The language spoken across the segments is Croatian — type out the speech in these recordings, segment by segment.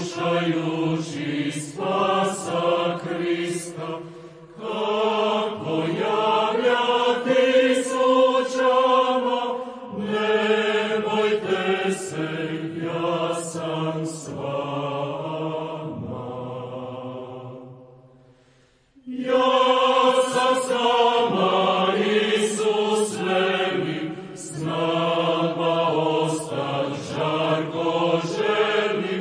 slušajući spasa Krista, kako javljati slučama, ne bojte se, ja sam s vama. Ja sam s vama, Isus veli, s nama ostat žarko želi,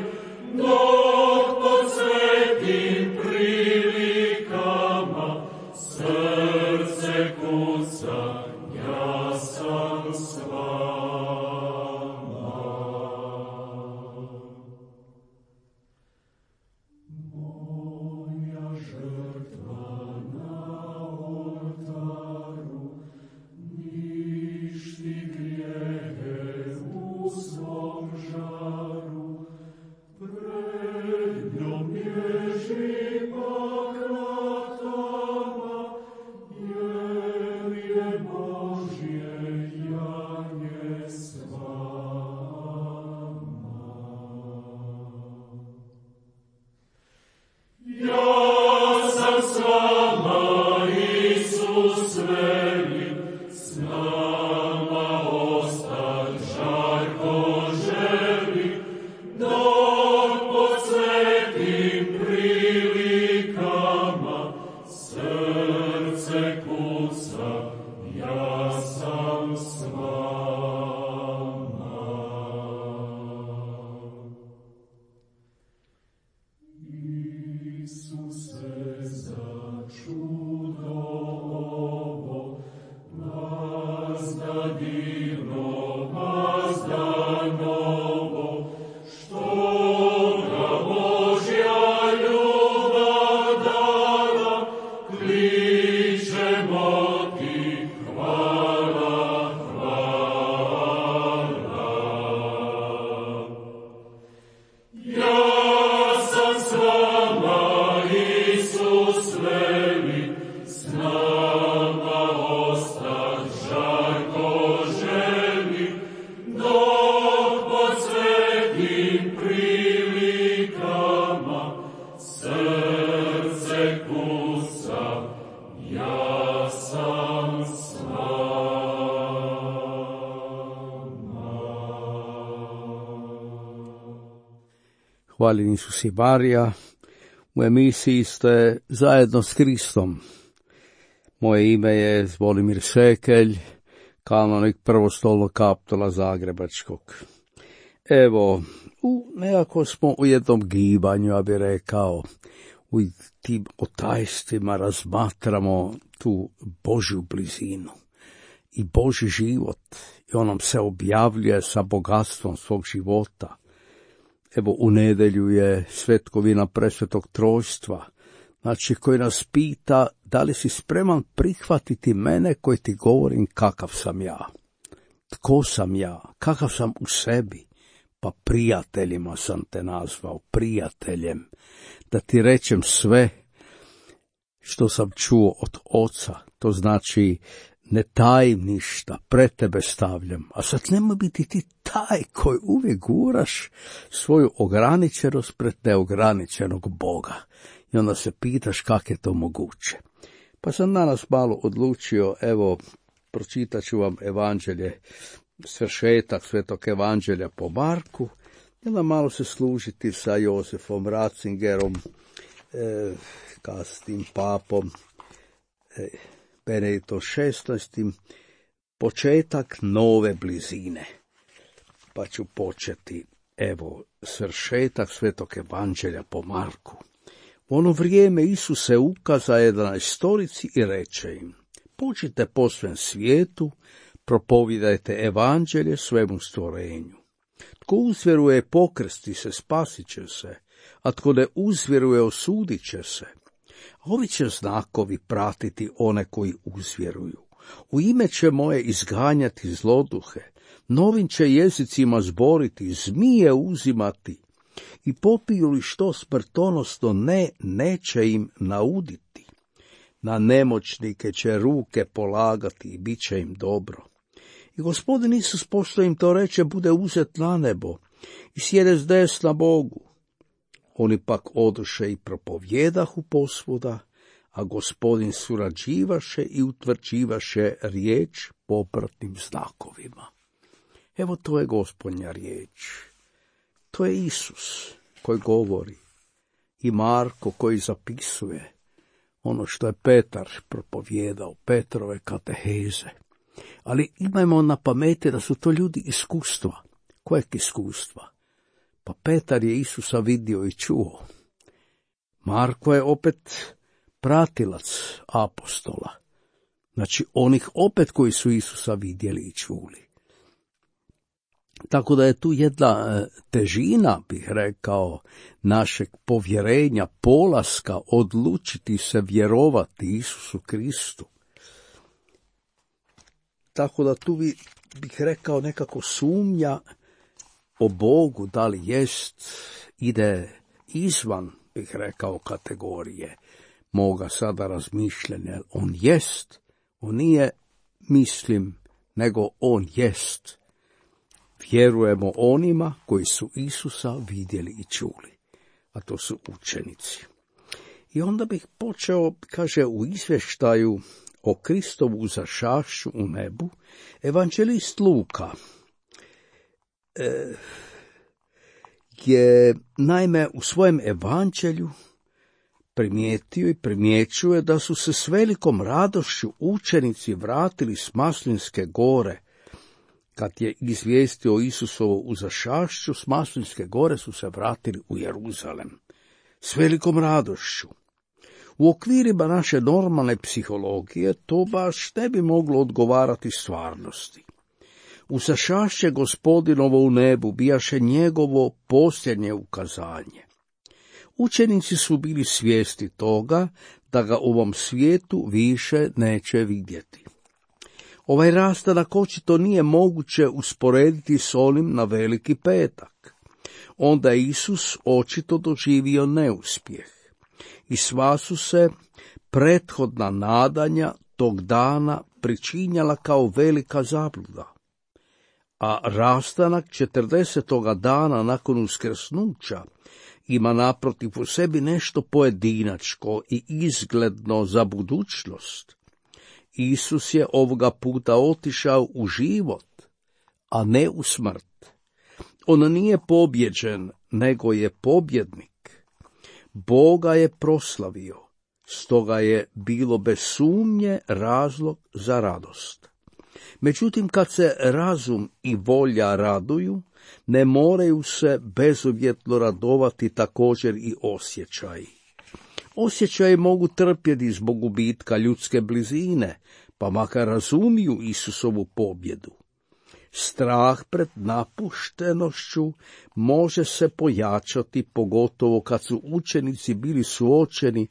dok pod svetim prilikama srce kuca, ja sam s vama. Moja žrtva na oltaru ništi grijehe u svom žaru, pred njom bježi pak ratama, jer je Božje janje s vama. Ja sam s vama, Isus veli, s nama ostat žarko želi, dok pod svetim prilikama srce kuca, ja sam s vama. Isuse, za čudo ovo, vazda divno, vazda novo, što ga Božja ljubav dala, kličemo ti hvala, hvala. Ja sam s vama, Isus veli, s nama ostat žarko želi, dok pod svetim prilikama srce kuca, ja sam s vama. Hvaljen Isus i Marija, u emisiji ste zajedno s Kristom. Moje ime je Zvonimir Sekelj, kanonik prvostolnog kaptola Zagrebačkog. Evo, nekako smo u jednom gibanju, ja bih rekao, u tim otajstvima razmatramo tu Božju blizinu i Božji život. I on nam se objavljuje sa bogatstvom svog života. Evo, u nedjelju je svetkovina presvetog trojstva, znači koji nas pita da li si spreman prihvatiti mene koji ti govorim kakav sam ja. Tko sam ja, kakav sam u sebi? Pa prijateljima sam te nazvao, prijateljem, da ti rečem sve što sam čuo od Oca, to znači ne tajim ništa, pred tebe stavljam, a sad nemoj biti ti taj koji uvijek guraš svoju ograničenost pred neograničenog Boga. I onda se pitaš kako je to moguće. Pa sam danas malo odlučio, evo, pročitat ću vam evanđelje, svršetak svetog evanđelja po Marku, i onda malo se služiti sa Josefom Ratzingerom, kasnim papom, Benediktom XVI, početak nove blizine. Pa ću početi, evo, svršetak svetog evanđelja po Marku. U ono vrijeme Isus se ukaza 11 i reče im: pođite po svem svijetu, propovidajte evanđelje svemu stvorenju. Tko uzvjeruje pokrsti se, spasit će se, a tko ne uzvjeruje, osudit će se. Ovi će znakovi pratiti one koji uzvjeruju. U ime će moje izganjati zloduhe, novim će jezicima zboriti, zmije uzimati, i popiju li što smrtonosno neće im nauditi. Na nemoćnike će ruke polagati i bit će im dobro. I Gospodin Isus, pošto im to reče, bude uzet na nebo i sjede s desna Bogu. Oni pak odoše i propovjedahu posvuda, a Gospodin surađivaše i utvrđivaše riječ popratnim znakovima. Evo, to je Gospodnja riječ. To je Isus koji govori i Marko koji zapisuje ono što je Petar propovjedao, Petrove kateheze. Ali imajmo na pameti da su to ljudi iskustva. Kojeg iskustva? Pa Petar je Isusa vidio i čuo. Marko je opet pratilac apostola. Znači onih opet koji su Isusa vidjeli i čuli. Tako da je tu jedna težina, bih rekao, našeg povjerenja, polaska, odlučiti se vjerovati Isusu Kristu. Tako da tu bih rekao nekako sumnja o Bogu, da li jest, ide izvan, bih rekao, kategorije moga sada razmišljanja. On jest, on nije mislim, nego on jest. Vjerujemo onima koji su Isusa vidjeli i čuli, a to su učenici. I onda bih počeo, kaže, u izvještaju o Kristovu uzašašću u nebu, evanđelist Luka je naime u svojem evanđelju primijetio i primjećuje da su se s velikom radošću učenici vratili s Maslinske gore. Kad je izvijestio Isusovu uzašašću s Maslinske gore, su se vratili u Jeruzalem s velikom radošću. U okvirima naše normalne psihologije to baš ne bi moglo odgovarati stvarnosti. Uzašašće Gospodinovo u nebu bijaše njegovo posljednje ukazanje. Učenici su bili svjesni toga da ga u ovom svijetu više neće vidjeti. Ovaj rastanak očito nije moguće usporediti s onim na Veliki petak. Onda je Isus očito doživio neuspjeh i sva su se prethodna nadanja tog dana pričinjala kao velika zabluda. A rastanak 40. dana nakon uskrsnuća ima naprotiv u sebi nešto pojedinačko i izgledno za budućnost. Isus je ovoga puta otišao u život, a ne u smrt. On nije pobjeđen, nego je pobjednik. Boga je proslavio, stoga je bilo bez sumnje razlog za radost. Međutim, kad se razum i volja raduju, ne moraju se bezuvjetno radovati također i osjećaji. Osjećaji mogu trpjeti zbog gubitka ljudske blizine, pa makar razumiju Isusovu pobjedu. Strah pred napuštenošću može se pojačati, pogotovo kad su učenici bili suočeni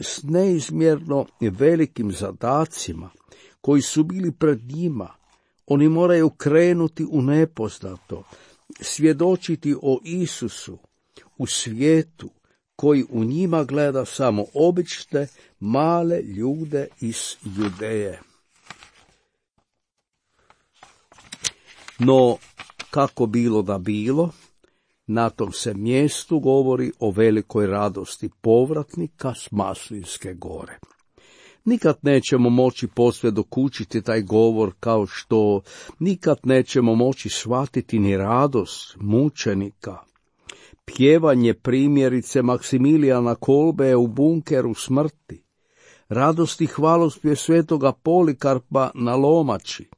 s neizmjerno velikim zadacima koji su bili pred njima. Oni moraju krenuti u nepoznato, svjedočiti o Isusu u svijetu koji u njima gleda samo obične, male ljude iz Judeje. No, kako bilo da bilo, na tom se mjestu govori o velikoj radosti povratnika s Maslinske gore. Nikad nećemo moći posve dokučiti taj govor, kao što nikad nećemo moći shvatiti ni radost mučenika. Pjevanje primjerice Maksimilijana Kolbe u bunkeru smrti, radost i hvalospjev svetoga Polikarpa na Lomači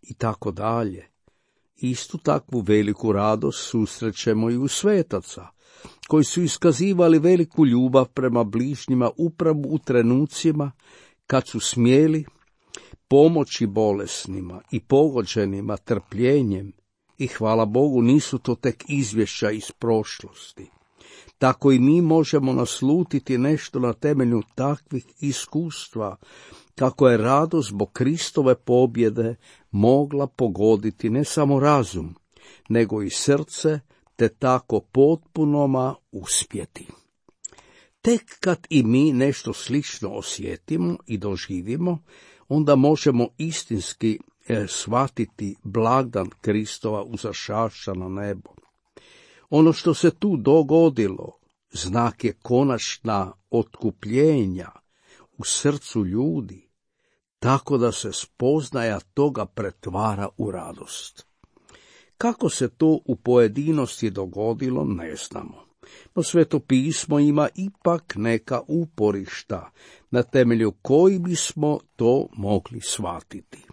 i tako dalje. Istu takvu veliku radost susrećemo i u svetaca, koji su iskazivali veliku ljubav prema bližnjima upravo u trenucima kad su smjeli pomoći bolesnima i pogođenima trpljenjem, i hvala Bogu nisu to tek izvješća iz prošlosti. Tako i mi možemo naslutiti nešto na temelju takvih iskustva, kako je radost zbog Kristove pobjede mogla pogoditi ne samo razum, nego i srce, te tako potpunoma uspjeti. Tek kad i mi nešto slično osjetimo i doživimo, onda možemo istinski shvatiti blagdan Kristova uzašašća na nebo. Ono što se tu dogodilo, znak je konačna otkupljenja u srcu ljudi, tako da se spoznaja toga pretvara u radost. Kako se to u pojedinosti dogodilo, ne znamo. No Sveto pismo ima ipak neka uporišta, na temelju koji bismo to mogli shvatiti.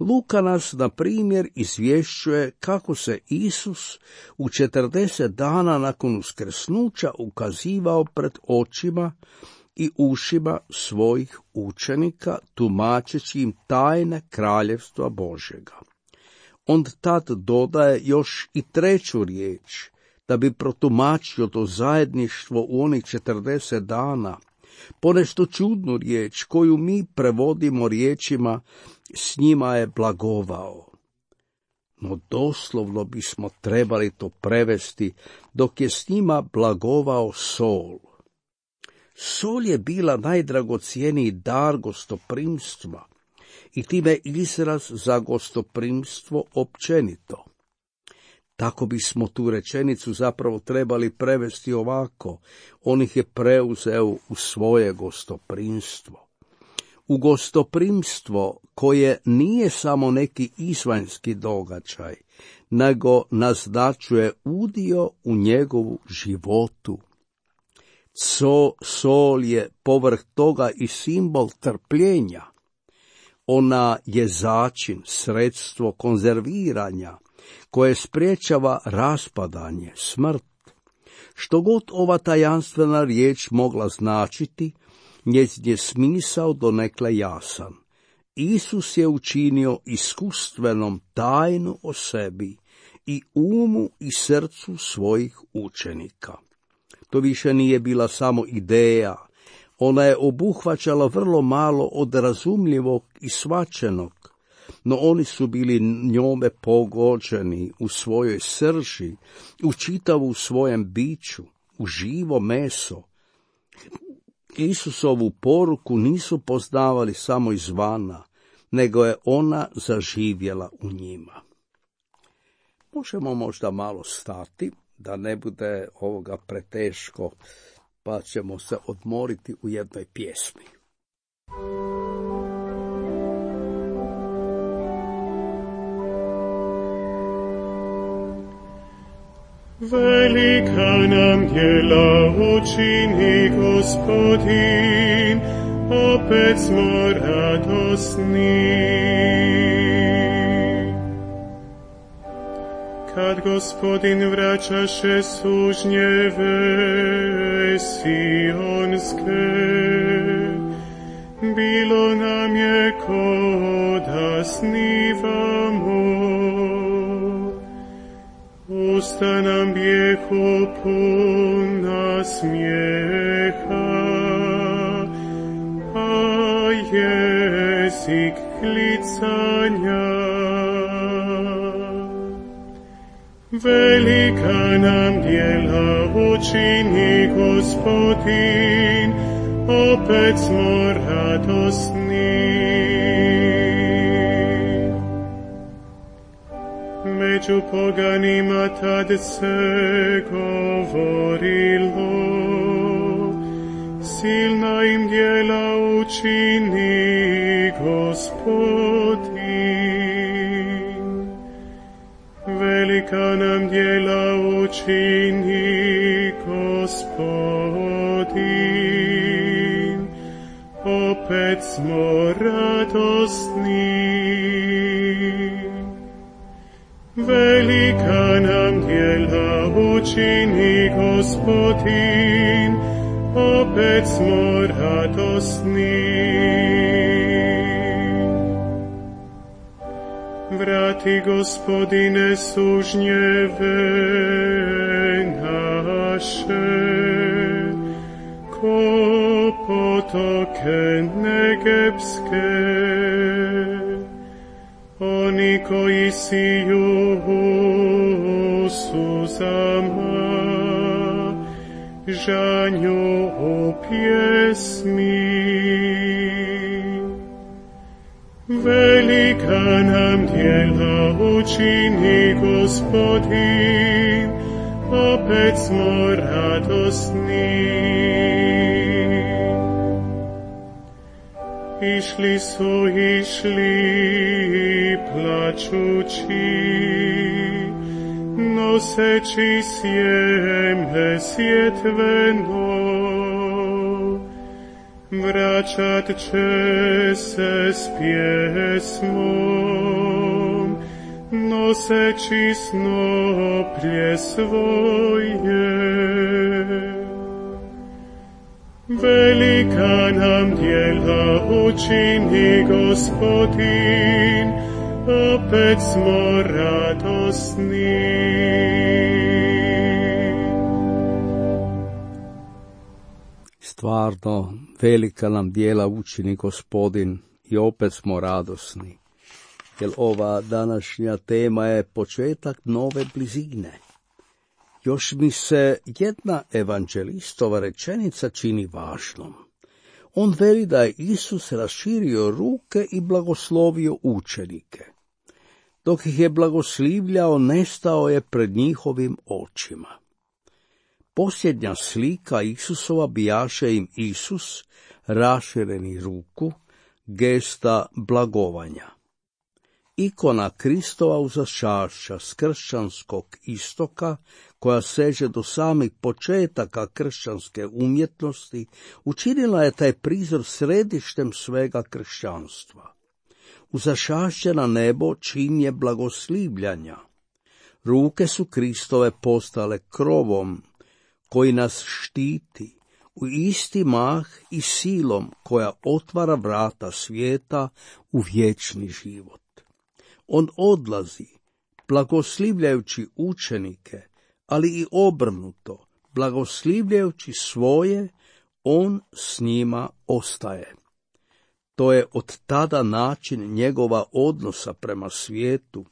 Luka nas, na primjer, izvješćuje kako se Isus u 40 dana nakon uskrsnuća ukazivao pred očima i ušima svojih učenika, tumačeći im tajne kraljevstva Božjega. On tad dodaje još i treću riječ, da bi protumačio to zajedništvo u onih 40 dana, ponešto čudnu riječ koju mi prevodimo riječima s njima je blagovao. No doslovno bismo trebali to prevesti dok je s njima blagovao sol. Sol je bila najdragocjeniji dar gostoprimstva i time izraz za gostoprimstvo općenito. Tako bismo tu rečenicu zapravo trebali prevesti ovako: on ih je preuzeo u svoje gostoprimstvo. U gostoprimstvo koje nije samo neki izvanjski događaj, nego naznačuje udio u njegovu životu. Sol je povrh toga i simbol trpljenja. Ona je začin, sredstvo konzerviranja, koje spriječava raspadanje, smrt. Što god ova tajanstvena riječ mogla značiti, njezin je smisao donekle jasan. Isus je učinio iskustvenom tajnu o sebi i umu i srcu svojih učenika. To više nije bila samo ideja, ona je obuhvaćala vrlo malo od razumljivog i shvaćenog, no oni su bili njome pogođeni u svojoj srži, u čitavu svojem biću, u živo meso. Isusovu poruku nisu poznavali samo izvana, nego je ona zaživjela u njima. Možemo možda malo stati, da ne bude ovoga preteško, pa ćemo se odmoriti u jednoj pjesmi. Velika nam djela učini Gospodin, opet smo radosni. Kad Gospodin vraćaše sužnjeve sionske, bilo nam je ko da snivamo. Usta nam bijehu puna smijeha, a jezik klicanja. Velika nam djela učini Gospodin, opet smo radosni. Među poganima tad se govorilo, silna im djela učini Gospodin. Velika nam djela učini Gospodin, opet smo radosni. Velika nam djela učini Gospodin, opet smo radosni. Vrati, Gospodine, sužnjeve naše, ko potoke negebske. Oni koji siju u suzama, žanju u pjesmi. Velika nam djela učini Gospodin, opet smo radosni. Išli plačući, noseći sjeme sjetveno, vraćat će se s pjesmom, noseći snoplje svoje. Velika nam djela učini Gospodin, opet smo radosni. Stvarno, velika nam djela učini Gospodin i opet smo radosni, jer ova današnja tema je početak nove blizine. Još mi se jedna evanđelistova rečenica čini važnom. On veli da je Isus raširio ruke i blagoslovio učenike. Dok ih je blagoslivljao, nestao je pred njihovim očima. Posljednja slika Isusova bijaše im Isus, rašireni ruku, gesta blagovanja. Ikona Kristova uzašašća s kršćanskog istoka, koja seže do samih početaka kršćanske umjetnosti, učinila je taj prizor središtem svega kršćanstva. Uzašašće na nebo čin je blagoslivljanja. Ruke su Kristove postale krovom koji nas štiti, u isti mah i silom koja otvara vrata svijeta u vječni život. On odlazi, blagoslivljajući učenike, ali i obrnuto, blagoslivljajući svoje, on s njima ostaje. To je od tada način njegova odnosa prema svijetu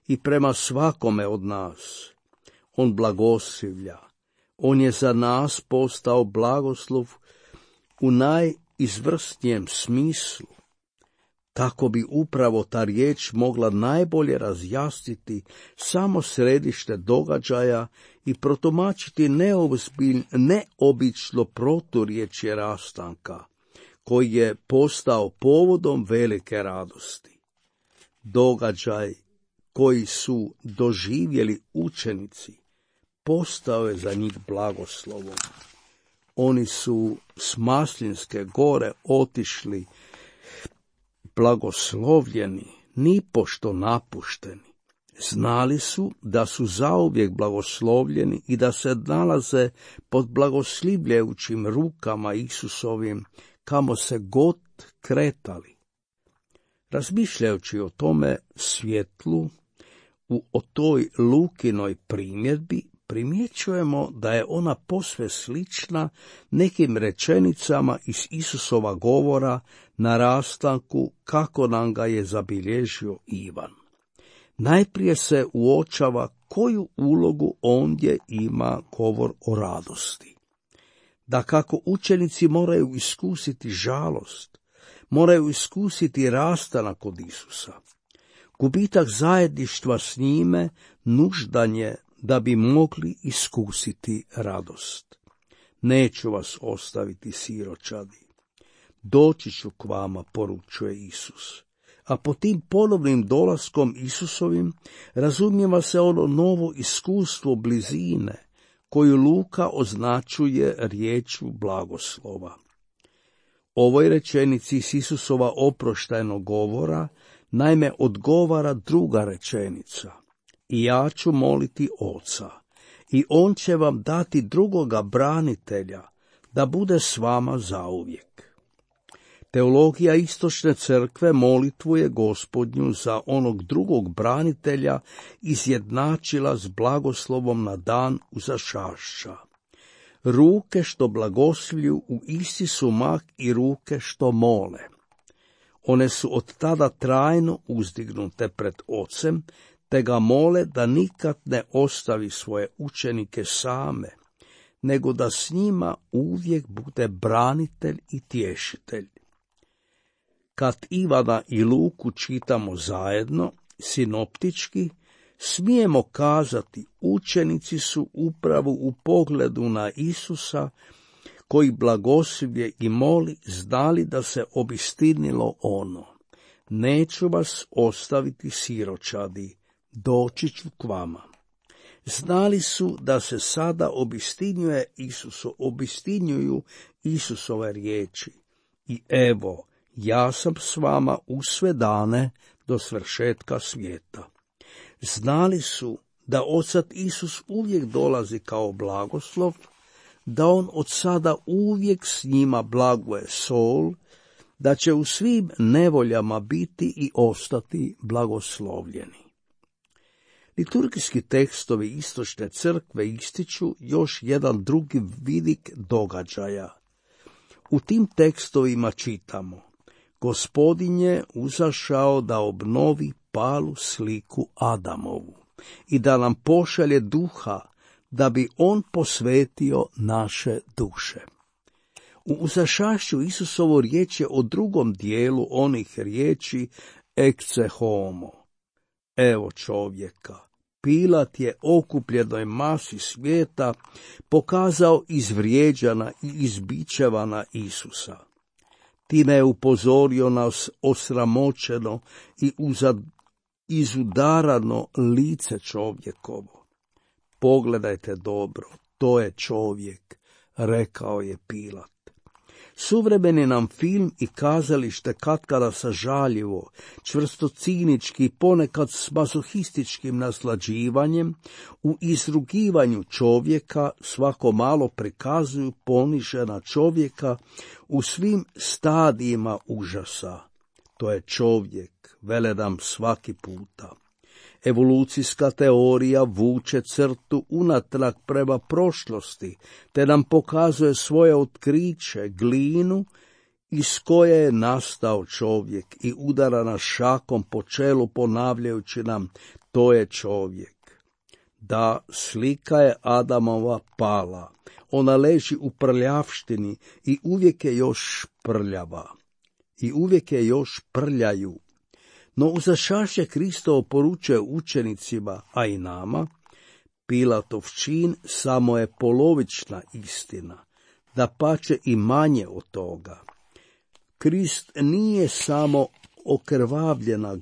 i prema svakome od nas. On blagoslivlja, on je za nas postao blagoslov u najizvrsnijem smislu. Tako bi upravo ta riječ mogla najbolje razjasniti samo središte događaja i protumačiti neobično proturječje rastanka, koji je postao povodom velike radosti. Događaj koji su doživjeli učenici postao je za njih blagoslovom. Oni su s Maslinske gore otišli blagoslovljeni, nipošto napušteni. Znali su da su zauvijek blagoslovljeni i da se nalaze pod blagoslivljajućim rukama Isusovim, kamo se god kretali. Razmišljajući o tome svjetlu, o toj Lukinoj primjedbi, primjećujemo da je ona posve slična nekim rečenicama iz Isusova govora na rastanku kako nam ga je zabilježio Ivan. Najprije se uočava koju ulogu ondje ima govor o radosti. Da kako učenici moraju iskusiti žalost, moraju iskusiti rastanak od Isusa. Gubitak zajedništva s njime nuždan je da bi mogli iskusiti radost. Neću vas ostaviti siročadi. Doći ću k vama, poručuje Isus. A po tim ponovnim dolaskom Isusovim razumijeva se ono novo iskustvo blizine, koju Luka označuje riječju blagoslova. Ovoj rečenici s Isusova oproštajnog govora naime odgovara druga rečenica. I ja ću moliti Oca, i on će vam dati drugoga branitelja, da bude s vama zauvijek. Teologija Istočne crkve molitvu je Gospodnju za onog drugog branitelja izjednačila s blagoslovom na dan uzašašća. Ruke što blagoslivlju u isti su mah i ruke što mole. One su od tada trajno uzdignute pred Ocem, te ga mole da nikad ne ostavi svoje učenike same, nego da s njima uvijek bude branitelj i tješitelj. kad Ivana i Luku čitamo zajedno, sinoptički, smijemo kazati učenici su upravo u pogledu na Isusa, koji blagoslivlje i moli, znali da se obistinilo ono: neću vas ostaviti siročadi, doći ću k vama. Znali su da se sada obistinjuju Isusove riječi. I evo, ja sam s vama u sve dane do svršetka svijeta. Znali su da Otac Isus uvijek dolazi kao blagoslov, da on od sada uvijek s njima blaguje sol, da će u svim nevoljama biti i ostati blagoslovljeni. Liturgijski tekstovi Istočne crkve ističu još jedan drugi vidik događaja. U tim tekstovima čitamo: Gospodin je uzašao da obnovi palu sliku Adamovu i da nam pošalje duha, da bi on posvetio naše duše. U uzašašću Isusovo riječ je o drugom dijelu onih riječi ecce homo. Evo čovjeka. Pilat je okupljenoj masi svijeta pokazao izvrijeđana i izbičevana Isusa. Time je upozorio nas osramoćeno i izudarano lice čovjekovo. Pogledajte dobro, to je čovjek, rekao je Pilat. Suvremeni nam film i kazalište katkada sažaljivo, čvrsto cinički, ponekad s mazohističkim naslađivanjem, u izrugivanju čovjeka svako malo prikazuju ponižena čovjeka u svim stadijima užasa. To je čovjek, vele nam svaki puta. Evolucijska teorija vuče crtu unatrag prema prošlosti, te nam pokazuje svoje otkriće, glinu iz koje je nastao čovjek, i udara nas šakom po čelu ponavljajući nam: to je čovjek. Da, slika je Adamova pala, ona leži u prljavštini i uvijek je još prljava, i uvijek je još prljaju. No uzašašće Kristovo poručuje učenicima, a i nama: Pilatov čin samo je polovična istina, dapače i manje od toga. Krist nije samo okrvavljena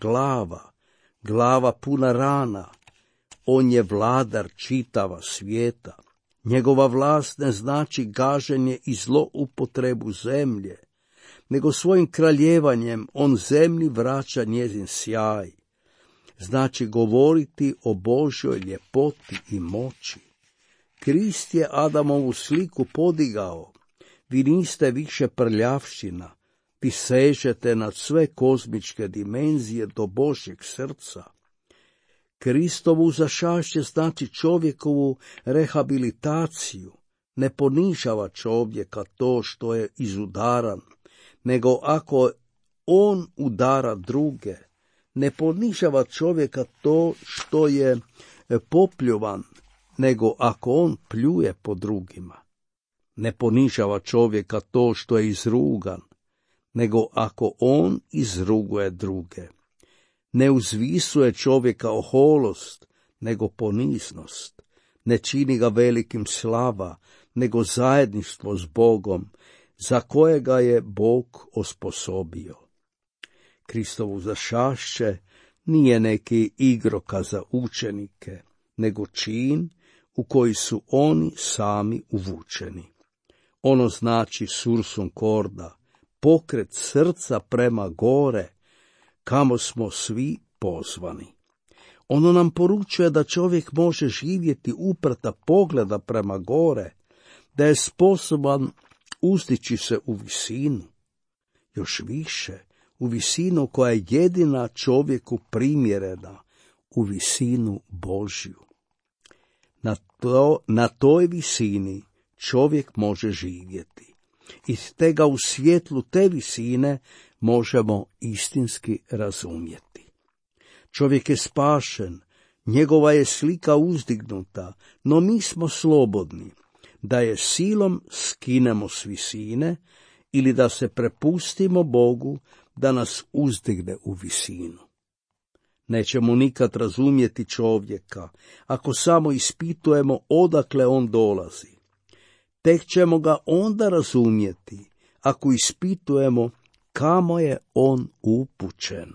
glava puna rana. On je vladar čitava svijeta. Njegova vlast ne znači gaženje i zloupotrebu zemlje, nego svojim kraljevanjem on zemlji vraća njezin sjaj. Znači govoriti o Božjoj ljepoti i moći. Krist je Adamovu sliku podigao. Vi niste više prljavština, vi sežete nad sve kozmičke dimenzije do Božjeg srca. Kristovu uzašašće znači čovjekovu rehabilitaciju. Ne ponižava čovjeka to što je izudaran, nego ako on udara druge. Ne ponižava čovjeka to što je popljuvan, nego ako on pljuje po drugima. Ne ponižava čovjeka to što je izrugan, nego ako on izruguje druge. Ne uzvisuje čovjeka oholost, nego poniznost. Ne čini ga velikim slava, nego zajedništvo s Bogom, za kojega je Bog osposobio. Kristovo uzašašće nije neki igrokaz za učenike, nego čin u koji su oni sami uvučeni. Ono znači sursum corda, pokret srca prema gore, kamo smo svi pozvani. Ono nam poručuje da čovjek može živjeti uprta pogleda prema gore, da je sposoban uzdići se u visinu, još više, u visinu koja je jedina čovjeku primjerena, u visinu Božju. Na toj visini čovjek može živjeti. I te ga u svjetlu te visine možemo istinski razumjeti. Čovjek je spašen, njegova je slika uzdignuta, no mi smo slobodni da je silom skinemo s visine ili da se prepustimo Bogu da nas uzdigne u visinu. Nećemo nikad razumjeti čovjeka ako samo ispitujemo odakle on dolazi. Tek ćemo ga onda razumjeti ako ispitujemo kamo je on upućen.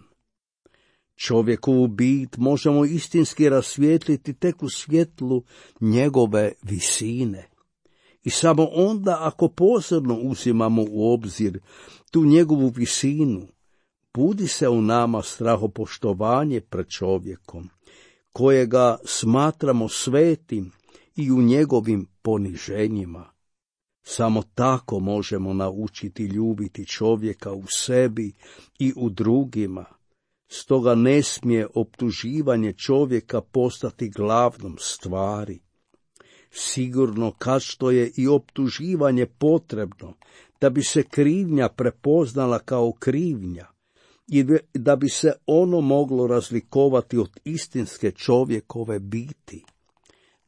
Čovjekovu bit možemo istinski rasvijetliti tek u svjetlu njegove visine. I samo onda ako posebno uzimamo u obzir tu njegovu visinu, budi se u nama strahopoštovanje pred čovjekom, kojega smatramo svetim i u njegovim poniženjima. Samo tako možemo naučiti ljubiti čovjeka u sebi i u drugima. Stoga ne smije optuživanje čovjeka postati glavnom stvari. Sigurno kad što je i optuživanje potrebno da bi se krivnja prepoznala kao krivnja i da bi se ono moglo razlikovati od istinske čovjekove biti.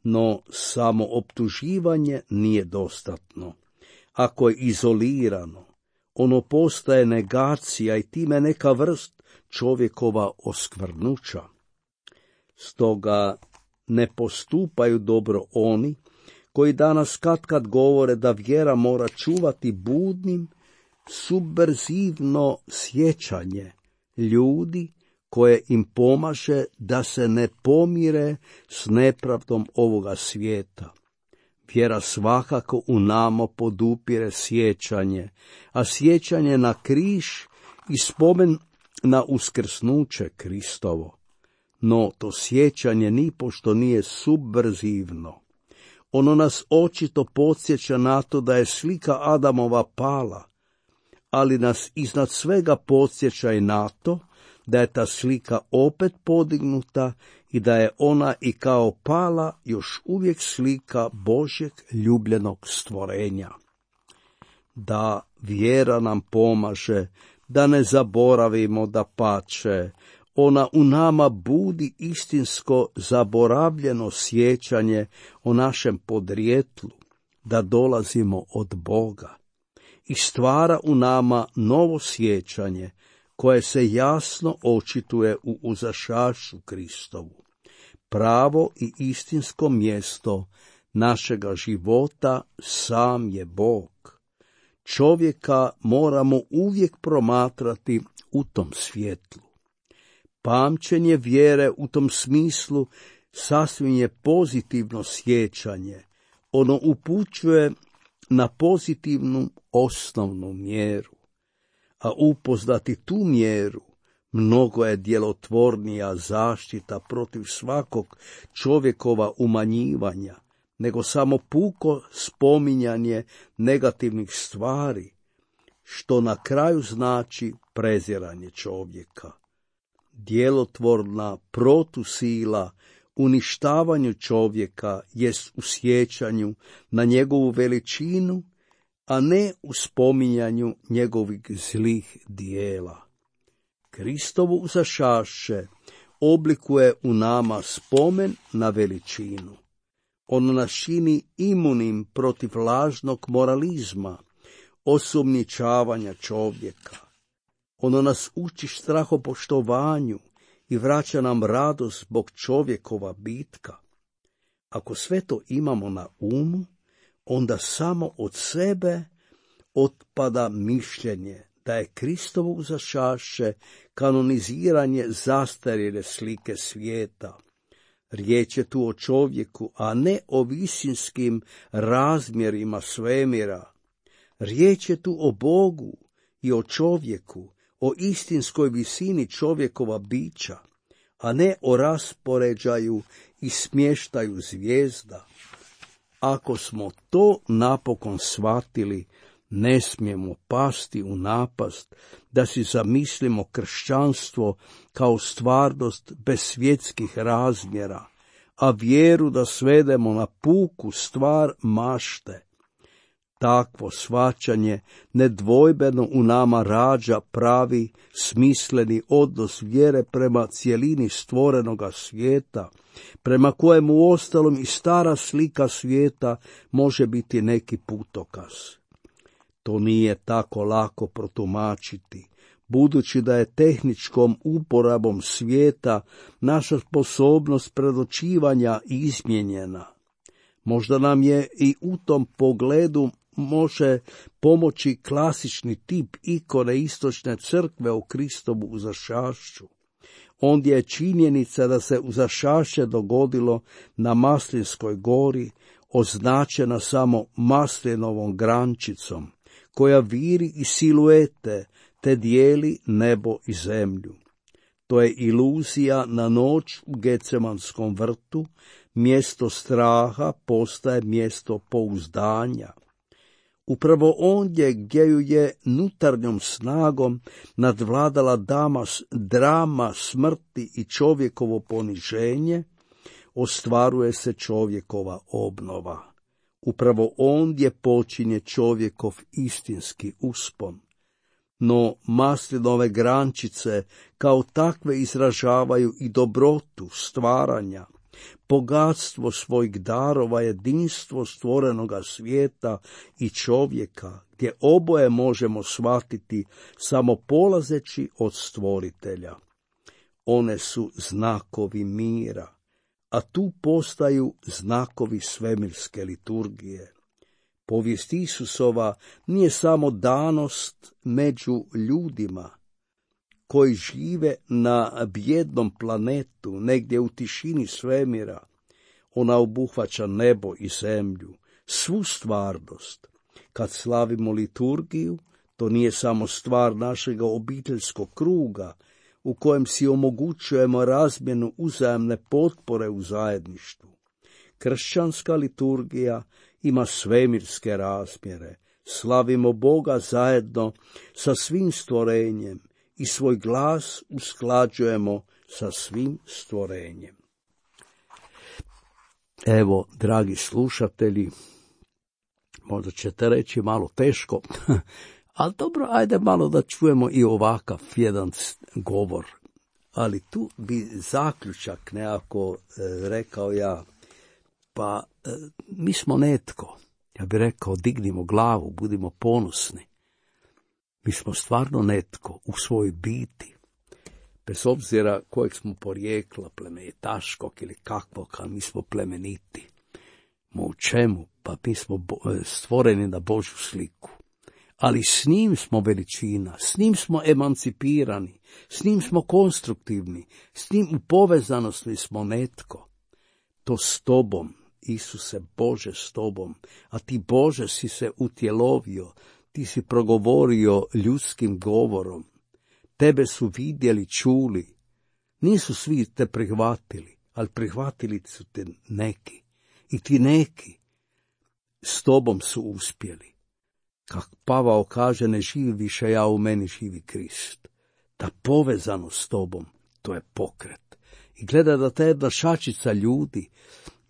No samo optuživanje nije dostatno. Ako je izolirano, ono postaje negacija i time neka vrst čovjekova oskvrnuća. Stoga ne postupaju dobro oni koji danas katkad govore da vjera mora čuvati budnim, subverzivno sjećanje ljudi koje im pomaže da se ne pomire s nepravdom ovoga svijeta. Vjera svakako u nama podupire sjećanje, a sjećanje na križ i spomen na uskrsnuće Kristovo. No to sjećanje nipošto nije subverzivno. Ono nas očito podsjeća na to da je slika Adamova pala, ali nas iznad svega podsjeća i na to da je ta slika opet podignuta i da je ona i kao pala još uvijek slika Božjeg ljubljenog stvorenja. Da vjera nam pomaže, da ne zaboravimo da pače, ona u nama budi istinsko zaboravljeno sjećanje o našem podrijetlu, da dolazimo od Boga, i stvara u nama novo sjećanje koje se jasno očituje u uzašašu Kristovu. Pravo i istinsko mjesto našega života sam je Bog. Čovjeka moramo uvijek promatrati u tom svjetlu. Pamćenje vjere u tom smislu sasvim je pozitivno sjećanje. Ono upućuje na pozitivnu osnovnu mjeru. A upoznati tu mjeru mnogo je djelotvornija zaštita protiv svakog čovjekova umanjivanja, nego samo puko spominjanje negativnih stvari, što na kraju znači preziranje čovjeka. Djelotvorna protusila uništavanju čovjeka jest u sjećanju na njegovu veličinu, a ne u spominjanju njegovih zlih dijela. Kristovo uzašašće oblikuje u nama spomen na veličinu. Ono nas čini imunim protiv lažnog moralizma, osumnjičavanja čovjeka. Ono nas uči strahopoštovanju i vraća nam radost zbog čovjekova bitka. Ako sve to imamo na umu, onda samo od sebe otpada mišljenje da je Kristovo uzašašće kanoniziranje zastarjele slike svijeta. Riječ je tu o čovjeku, a ne o visinskim razmjerima svemira. Riječ je tu o Bogu i o čovjeku, o istinskoj visini čovjekova bića, a ne o raspoređaju i smještaju zvijezda. Ako smo to napokon shvatili, ne smijemo pasti u napast da si zamislimo kršćanstvo kao stvarnost bez svjetskih razmjera, a vjeru da svedemo na puku stvar mašte. Takvo shvaćanje nedvojbeno u nama rađa pravi, smisleni odnos vjere prema cjelini stvorenoga svijeta, prema kojemu uostalom i stara slika svijeta može biti neki putokaz. To nije tako lako protumačiti, budući da je tehničkom uporabom svijeta naša sposobnost predočivanja izmijenjena. Možda nam je i u tom pogledu može pomoći klasični tip ikone istočne crkve o Kristovu uzašašću. Ondje je činjenica da se uzašašće dogodilo na Maslinskoj gori, označena samo maslinovom grančicom, koja viri iz siluete te dijeli nebo i zemlju. To je iluzija na noć u Gecemanskom vrtu, mjesto straha postaje mjesto pouzdanja. Upravo ondje gdje ju je nutarnjom snagom nadvladala drama smrti i čovjekovo poniženje, ostvaruje se čovjekova obnova. Upravo ondje počinje čovjekov istinski uspon. No maslinove grančice kao takve izražavaju i dobrotu stvaranja, bogatstvo svojih darova, jedinstvo stvorenoga svijeta i čovjeka, gdje oboje možemo shvatiti samo polazeći od stvoritelja. One su znakovi mira, a tu postaju znakovi svemirske liturgije. Povijest Isusova nije samo danost među ljudima koji žive na bijednom planetu, negdje u tišini svemira. Ona obuhvaća nebo i zemlju, svu stvarnost. Kad slavimo liturgiju, to nije samo stvar našega obiteljskog kruga, u kojem si omogućujemo razmjenu uzajamne potpore u zajedništvu. Kršćanska liturgija ima svemirske razmjere. Slavimo Boga zajedno sa svim stvorenjem i svoj glas usklađujemo sa svim stvorenjem. Evo, dragi slušatelji, možda ćete reći malo teško, ali dobro, ajde malo da čujemo i ovakav jedan govor. Ali tu bi zaključak nekako rekao ja, pa mi smo netko. Ja bih rekao, dignimo glavu, budimo ponosni. Mi smo stvarno netko u svojoj biti. Bez obzira kojeg smo porijekla, plemenitaškog ili kakvog, ali mi smo plemeniti. U čemu? Pa mi smo stvoreni na Božju sliku. Ali s njim smo veličina, s njim smo emancipirani, s njim smo konstruktivni, s njim u povezanosti smo netko. To s tobom, Isuse Bože, s tobom, a ti Bože si se utjelovio, ti si progovorio ljudskim govorom. Tebe su vidjeli, čuli. Nisu svi te prihvatili, ali prihvatili su te neki. I ti neki s tobom su uspjeli. Kak Pavao kaže, ne živi više ja, u meni živi Krist. Ta povezanost s tobom, to je pokret. I gleda da ta jedna šačica ljudi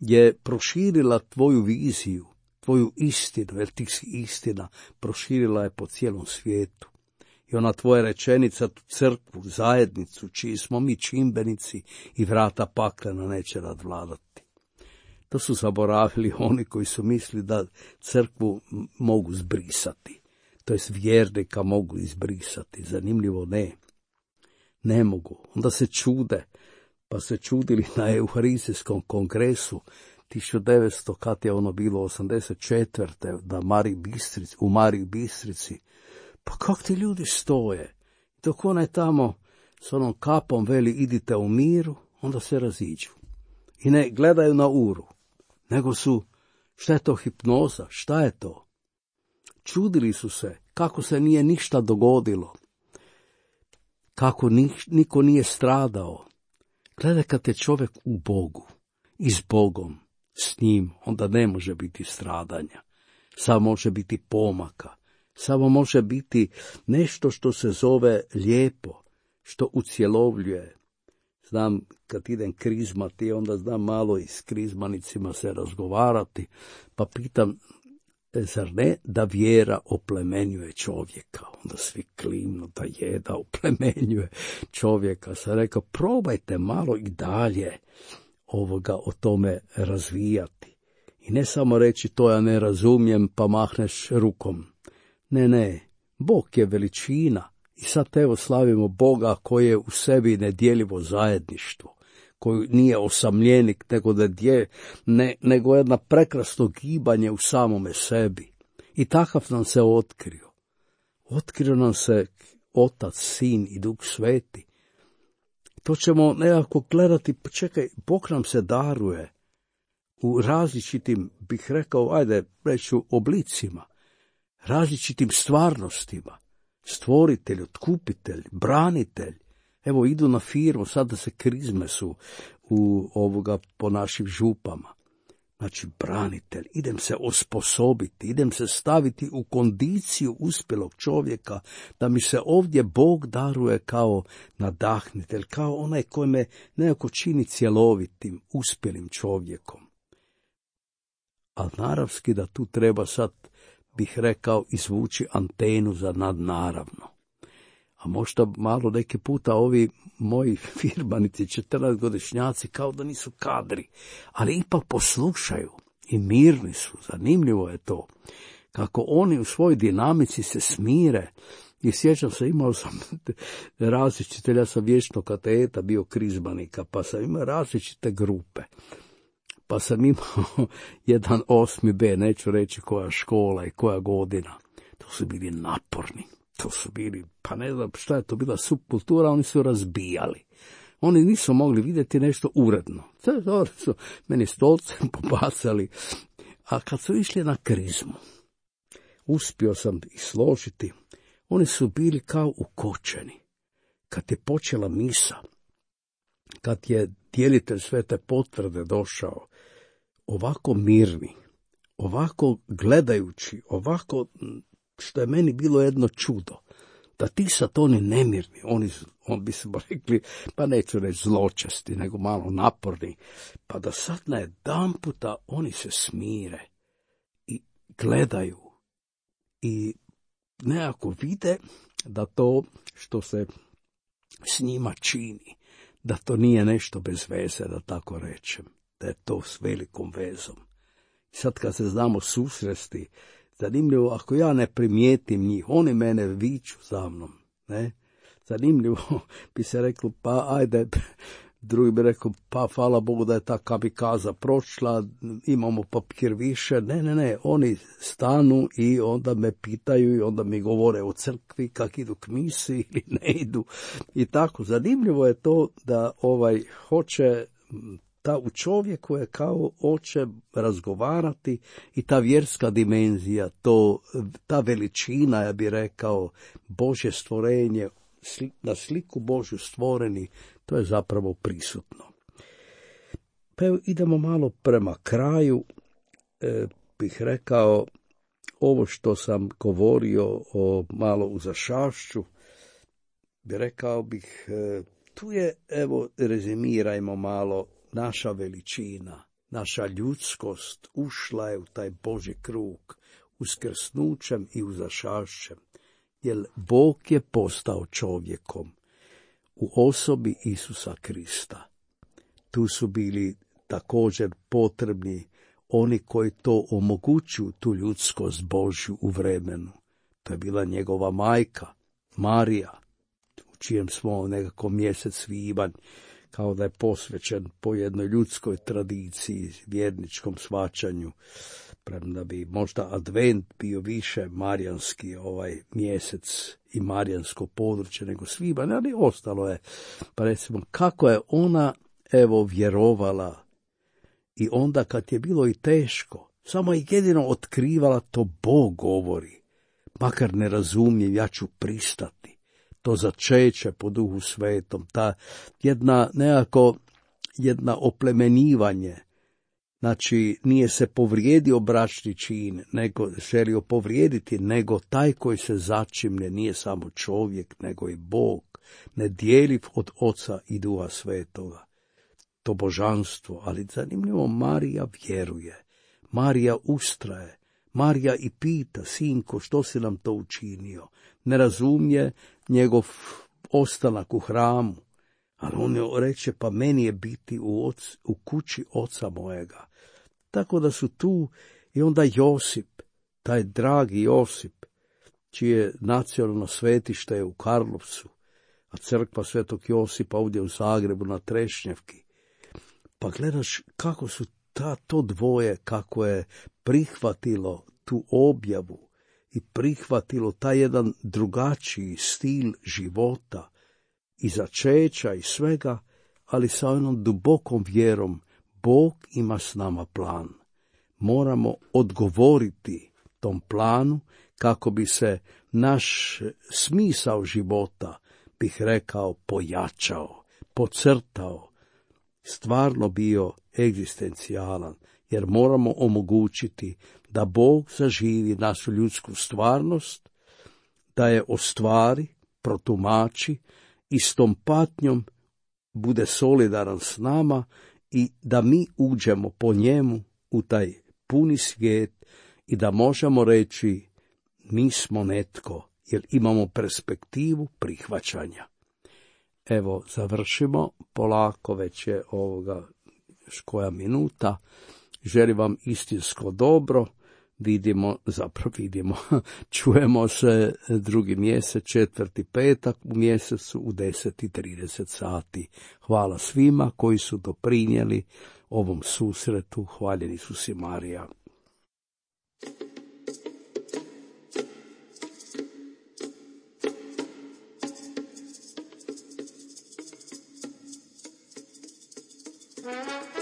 je proširila tvoju viziju, tvoju istinu, jer ti si istina, proširila je po cijelom svijetu. I ona tvoja rečenica, tu crkvu, zajednicu, čiji smo mi čimbenici i vrata paklena neće nadvladati. To su zaboravili oni koji su mislili da crkvu mogu zbrisati, to jest vjernika mogu izbrisati. Zanimljivo ne mogu. Onda se čude, pa se čudili na Euharistijskom kongresu 1900, kad je ono bilo 84. U Mariji Bistrici. Pa kako ti ljudi stoje? Dok onaj tamo s onom kapom veli idite u miru, onda se raziđu. I ne gledaju na uru, nego su, šta je to hipnoza, šta je to? Čudili su se kako se nije ništa dogodilo, kako niko nije stradao. Gledaj, kad je čovjek u Bogu i s Bogom, s njim, onda ne može biti stradanja, samo može biti pomaka, samo može biti nešto što se zove lijepo, što ucjelovljuje. Znam, kad idem krizmati, onda znam malo i s krizmanicima se razgovarati, pa pitam, zar ne da vjera oplemenjuje čovjeka? Onda svi klimnu da oplemenjuje čovjeka. Sam rekao, probajte malo i dalje o tome razvijati. I ne samo reći, to ja ne razumijem, pa mahneš rukom. Ne, Bog je veličina I sad evo slavimo Boga koji je u sebi nedjeljivo zajedništvo, koji nije osamljenik, nego jedna prekrasno gibanje u samome sebi. I takav nam se otkrio. Otkrio nam se Otac, Sin i Duh Sveti. To ćemo nekako gledati, čekaj, Bog nam se daruje u različitim, bih rekao, reću oblicima, različitim stvarnostima. Stvoritelj, otkupitelj, branitelj. Evo, idu na firmu, sada se krizme su po našim župama. Znači, branitelj, idem se osposobiti, idem se staviti u kondiciju uspjelog čovjeka, da mi se ovdje Bog daruje kao nadahnitelj, kao onaj koji me nekako čini cjelovitim, uspjelim čovjekom. Ali naravski da tu treba sad, bih rekao, izvući antenu za nadnaravno. A možda malo neki puta ovi moji firmanici, 14-godišnjaci, kao da nisu kadri, ali ipak poslušaju i mirni su. Zanimljivo je to, kako oni u svojoj dinamici se smire. I sjećam se, imao sam različite, ja sam vječno kateta bio krizmanika, pa sam imao različite grupe. Pa sam imao jedan 8B, neću reći koja škola i koja godina. To su bili naporni. To su bili, pa ne znam šta je to bila subkultura, oni su razbijali. Oni nisu mogli vidjeti nešto uredno. Oni su meni stolcem pobacali. A kad su išli na krizmu, uspio sam ih složiti, oni su bili kao ukočeni. Kad je počela misa, kad je djelitelj svete potvrde došao, ovako mirni, ovako gledajući, ovako, što je meni bilo jedno čudo, da ti sad oni nemirni, on bi se rekli, pa neću reći zločesti, nego malo naporni, pa da sad najedanputa oni se smire i gledaju i nekako vide da to što se s njima čini, da to nije nešto bez veze, da tako rečem, da je to s velikom vezom. I sad kad se znamo susresti, zanimljivo, ako ja ne primijetim njih, oni mene viču za mnom, ne? Zanimljivo bi se reklo, pa ajde, drugi bi rekao, pa hvala Bogu da je ta kamikaza prošla, imamo papir više. Ne, oni stanu i onda me pitaju i onda mi govore o crkvi, kak idu k misi ili ne idu. I tako, zanimljivo je to da hoće, ta u čovjeku je kao hoće razgovarati i ta vjerska dimenzija, ta veličina, ja bih rekao, Božje stvorenje, na sliku Božju stvoreni, to je zapravo prisutno. Pa evo, idemo malo prema kraju, bih rekao, ovo što sam govorio o malo uzašašću, rekao bih, tu je, evo, rezimirajmo malo, naša veličina, naša ljudskost ušla je u taj Božji krug, uskrsnućem i uzašašćem, jer Bog je postao čovjekom u osobi Isusa Krista. Tu su bili također potrebni oni koji to omogućuju, tu ljudskost Božju u vremenu. To je bila njegova majka, Marija, u čijem smo nekako mjesec svibanj, kao da je posvećen po jednoj ljudskoj tradiciji, vjerničkom shvaćanju, premda bi možda advent bio više marijanski mjesec i marijansko područje nego svibanj, ali ostalo je, pa recimo, kako je ona, evo, vjerovala i onda kad je bilo i teško, samo je jedino otkrivala to Bog govori, makar ne razumijem, ja ću pristati. To začeće po Duhu Svetom, ta jedna oplemenjivanje, znači nije se povrijedio bračni čin, nego želio povrijediti, nego taj koji se začimne nije samo čovjek, nego i Bog, nedjeljiv od Oca i Duha Svetoga. To božanstvo, ali zanimljivo, Marija vjeruje, Marija ustraje, Marija i pita, sinko, što si nam to učinio? Ne razumije njegov ostanak u hramu, ali on reče, pa meni je biti u kući oca mojega. Tako da su tu i onda Josip, taj dragi Josip, čije nacionalno svetište je u Karlovcu, a crkva Svetog Josipa ovdje u Zagrebu na Trešnjevki. Pa gledaš kako su to dvoje, kako je prihvatilo tu objavu i prihvatilo taj jedan drugačiji stil života i začeća i svega, ali sa onom dubokom vjerom, Bog ima s nama plan. Moramo odgovoriti tom planu kako bi se naš smisao života, bih rekao, pojačao, podcrtao, stvarno bio egzistencijalan, jer moramo omogućiti da Bog zaživi našu ljudsku stvarnost, da je ostvari, protumači i s tom patnjom bude solidaran s nama i da mi uđemo po njemu u taj puni svijet i da možemo reći mi smo netko, jer imamo perspektivu prihvaćanja. Evo, završimo, polako već je koja minuta. Želim vam istinsko dobro, čujemo se drugi mjesec, 4. petak u mjesecu u 10:30 sati. Hvala svima koji su doprinijeli ovom susretu. Hvaljen Isus i Marija. Thank you.